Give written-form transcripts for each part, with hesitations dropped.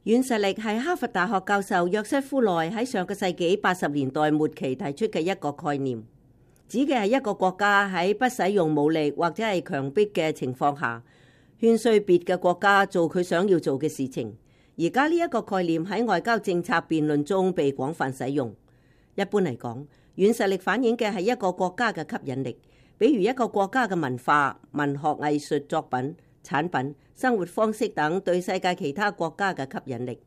軟實力係哈佛大學教授約瑟夫內喺上個世紀80年代末期提出嘅一個概念，指嘅係一個國家喺不使用武力或者係強迫嘅情況下，勸說別嘅國家做佢想要做嘅事情。而家呢一個概念喺外交政策辯論中被廣泛使用。一般嚟講，軟實力反映嘅係一個國家嘅吸引力，比如一個國家嘅文化、文學藝術作品、產品、生活方式等對世界其他國家嘅吸引力。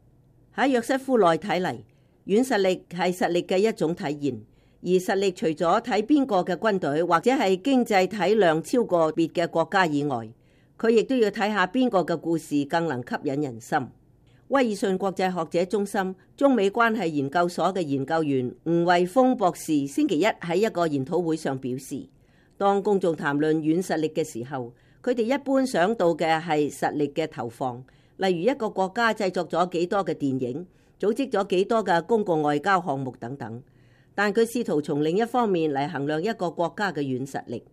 喺約瑟夫內睇嚟，軟實力係實力嘅一種體現，而實力除咗睇邊個嘅軍隊或者係經濟體量超過別嘅國家以外，佢亦都要睇下邊個嘅故事更能吸引人心。威爾遜國際學者中心中美關係研究所嘅研究員吳惠峰博士星期一喺一個研討會上表示，當公眾談論軟實力嘅時候，佢哋一般想到嘅係實力嘅投放，例如一個國家製作咗幾多嘅電影，組織咗幾多嘅公共外交項目等等。但佢試圖從另一方面嚟衡量一個國家嘅軟實力。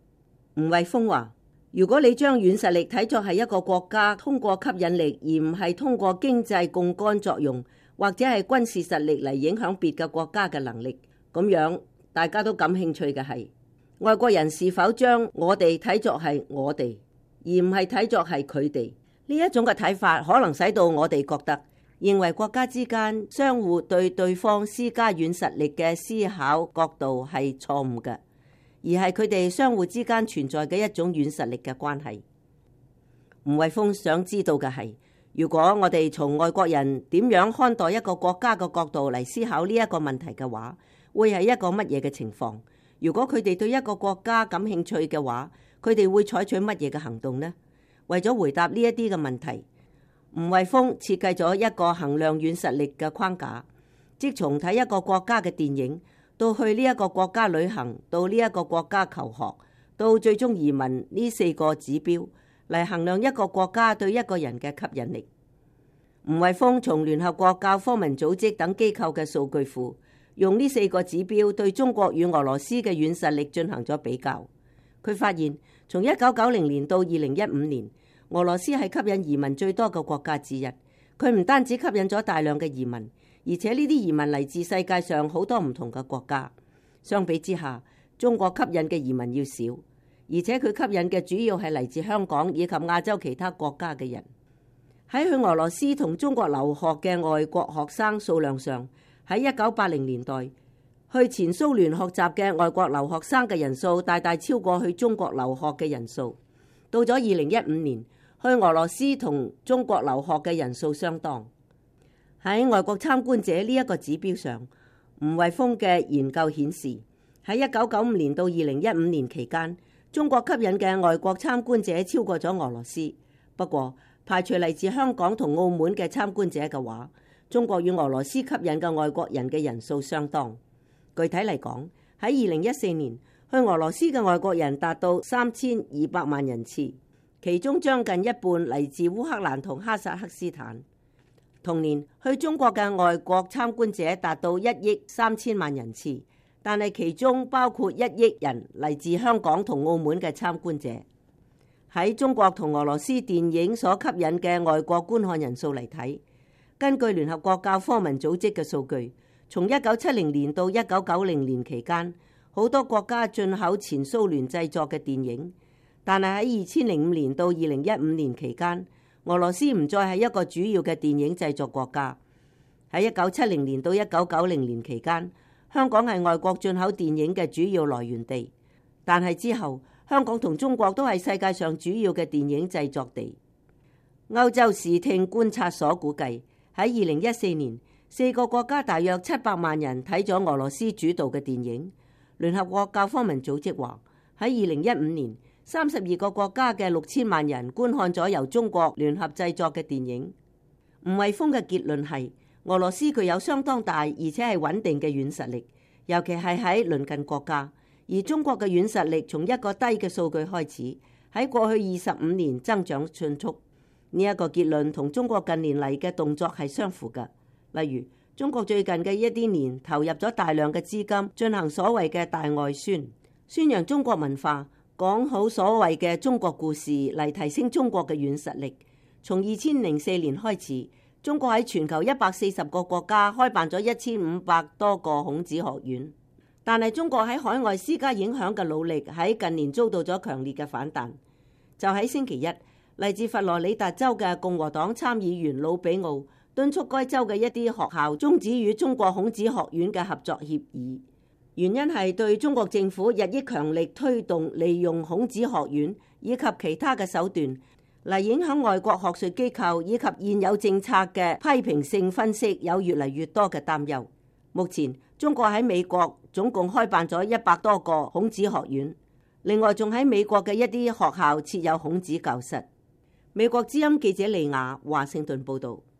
吳惠峰話，如果你將軟實力睇作係一個國家通過吸引力，而唔係通過經濟槓桿作用或者係軍事實力嚟影響別嘅國家嘅能力，咁樣大家都感興趣嘅係外國人是否將我哋睇作係我哋，而唔係睇作係佢哋。呢一種嘅睇法可能使到我哋覺得認為國家之間相互對對方施加軟實力嘅思考角度係錯誤嘅，而係佢哋相互之間存在嘅一種軟實力嘅關係。吳惠峰想知道嘅係，如果我哋從外國人點樣看待一個國家嘅角度嚟思考呢一個問題嘅話，會係一個乜嘢嘅情況？如果佢哋對一個國家感興趣嘅話，佢哋會採取乜嘢嘅行動呢？為咗回答呢一啲嘅問題，吳惠峰設計咗一個衡量軟實力嘅框架，即從睇一個國家嘅電影，到去呢一個國家旅行，到呢一個國家求學，到最終移民呢4個指標嚟衡量一個國家對一個人嘅吸引力。吳惠峰從聯合國教科文組織等機構嘅數據庫，用呢4個指標對中國與俄羅斯嘅軟實力進行咗比較。佢發現，從1990年到2015年，俄羅斯係吸引移民最多嘅國家之一。佢唔單止吸引咗大量嘅移民，而且呢啲移民嚟自世界上好多唔同嘅國家。相比之下，中國吸引嘅移民要少，而且佢吸引嘅主要係嚟自香港以及亞洲其他國家嘅人。喺去俄羅斯同中國留學嘅外國學生數量上，喺1980年代，去前蘇聯學習嘅外國留學生嘅人數大大超過去中國留學嘅人數。到咗2015年，去俄羅斯同中國留學嘅人數相當。喺外國參觀者呢一個指標上，吳惠峰嘅研究顯示，喺1995年到2015年期間，中國吸引嘅外國參觀者超過咗俄羅斯。不過，排除嚟自香港同澳門嘅參觀者嘅話，中國與俄羅斯吸引嘅外國人嘅人數相當。具體嚟講，喺2014年，去俄羅斯嘅外國人達到3200萬人次，其中將近一半嚟自烏克蘭同哈薩克斯坦。同年，去中國嘅外國參觀者達到1億3千萬人次，但係其中包括1億人嚟自香港同澳門嘅參觀者。喺中國同俄羅斯電影所吸引嘅外國觀看人數嚟睇，根據聯合國教科文組織嘅數據，從1970年到1990年期間，好多國家進口前蘇聯製作嘅電影，但係喺2005年到2015年期間，俄羅斯唔再係一個主要嘅電影製作國家。喺1970年到1990年期間，香港係外國進口電影嘅主要來源地，但係之後，香港同中國都係世界上主要嘅電影製作地。歐洲視聽觀察所估計，喺2014年，4個國家大約700萬人睇咗俄羅斯主導嘅電影。聯合國教科文組織話，喺2015年，32個國家嘅6000萬人觀看咗由中國聯合製作嘅電影。吳惠峰嘅結論係，俄羅斯具有相當大而且係穩定嘅軟實力，尤其係喺鄰近國家。而中國嘅軟實力從一個低嘅數據開始，喺過去25年增長迅速。呢一個結論同中國近年嚟嘅動作係相符嘅。例如，中國最近嘅一啲年投入咗大量嘅資金進行所謂嘅大外宣，宣揚中國文化，講好所謂嘅中國故事嚟提升中國嘅軟實力。從2004年開始，中國喺全球140個國家開辦咗1500多個孔子學院，但係中國喺海外施加影響嘅努力喺近年遭到咗強烈嘅反彈。就喺星期一，嚟自佛羅里達州嘅共和黨參議員魯比奧敦促該州嘅一啲學校終止與中國孔子學院嘅合作協議，原因係對中國政府日益強力推動利用孔子學院以及其他嘅手段嚟影響外國學術機構以及現有政策嘅批評性分析有越嚟越多嘅擔憂。目前中國喺美國總共開辦咗100多個孔子學院，另外仲喺美國嘅一啲學校設有孔子教室。美國之音記者利亞華盛頓報道。